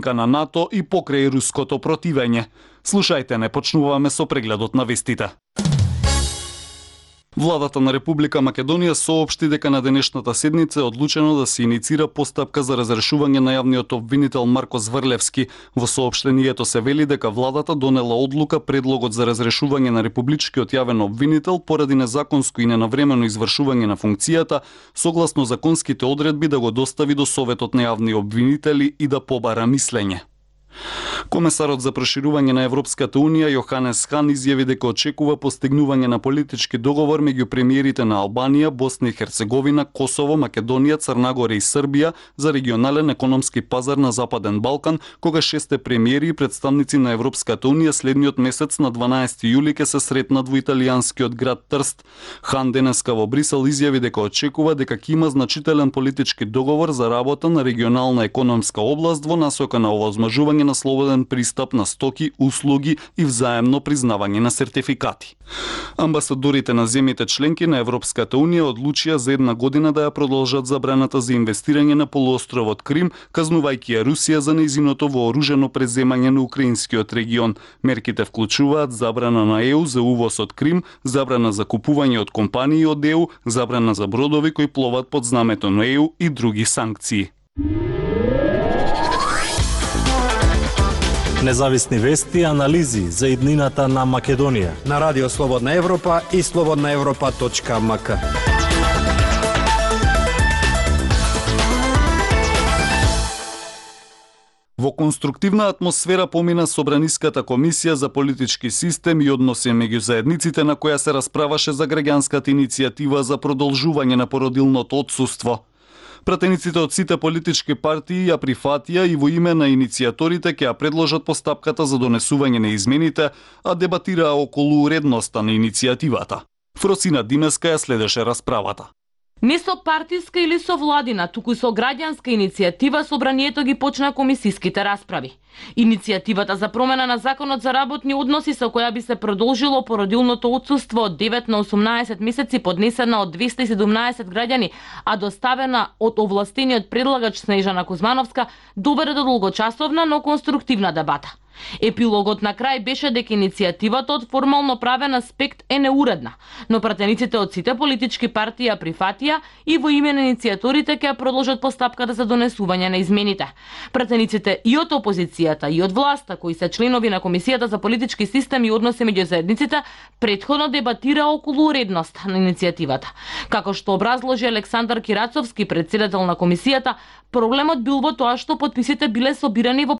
на НАТО и покрај руското противење. Слушајте, не почнуваме со прегледот на вестите. Владата на Република Македонија соопшти дека на денешната седница е одлучено да се иницира постапка за разрешување на јавниот обвинител Марко Зврлевски. Во соопштението се вели дека владата донела одлука предлогот за разрешување на републичкиот јавен обвинител поради незаконско и ненавремено извршување на функцијата, согласно законските одредби да го достави до Советот на јавни обвинители и да побара мислење. Комесарот за проширување на Европската Унија Јоханес Хан изјави дека очекува постигнување на политички договор меѓу премиерите на Албанија, Босна и Херцеговина, Косово, Македонија, Црна Гора и Србија за регионален економски пазар на Западен Балкан, кога шесте премиери и представници на Европската Унија следниот месец на 12 јули ќе се сретнат во италијанскиот град Трст. Хан денеска во Брисел изјави дека очекува дека ќе има значителен политички договор за работа на регионална економска област во насока на овозможување на слободен пристап на стоки, услуги и взаемно признавање на сертификати. Амбасадорите на земјите членки на Европската Унија одлучија за една година да ја продолжат забраната за инвестирање на полуостровот Крим, казнувајќи ја Русија за нејзиното вооружено преземање на украинскиот регион. Мерките вклучуваат забрана на ЕУ за увоз од Крим, забрана за купување од компании од ЕУ, забрана за бродови кои пловат под знамето на ЕУ и други санкции. Независни вести и анализи за иднината на Македонија на Радио Слободна Европа и slobodnaevropa.mk. Во конструктивна атмосфера помина Собраниската комисија за политички систем и односи меѓу заедниците, на која се расправаше за граѓанската иницијатива за продолжување на породилното отсуство. Пратениците од сите политички партии ја прифатија и во име на иницијаторите ќе ја предложат постапката за донесување на измените, а дебатираа околу уредноста на иницијативата. Фросина Димеска ја следеше расправата. Не со партиска или со владина, туку со граѓанска иницијатива Собранието ги почна комисиските расправи. Иницијативата за промена на Законот за работни односи со која би се продолжило породилното отсуство од 9 на 18 месеци поднесена од 217 граѓани, а доставена од овластениот предлагач Снежана Кузмановска, доведе до долгочасовна, но конструктивна дебата. Епилогот на крај беше дека иницијативата од формално правен аспект е неуредна, но пратениците од сите политички партии ја прифатија и во име на иницијаторите ќе продолжат постапката за донесување на измените. Пратениците и од опозицијата и од власта, кои се членови на Комисијата за политички систем и односи меѓу заедниците, претходно дебатира околу уредност на иницијативата. Како што образложи Александар Кирацовски, председател на комисијата, проблемот бил во тоа што подписите биле собирани во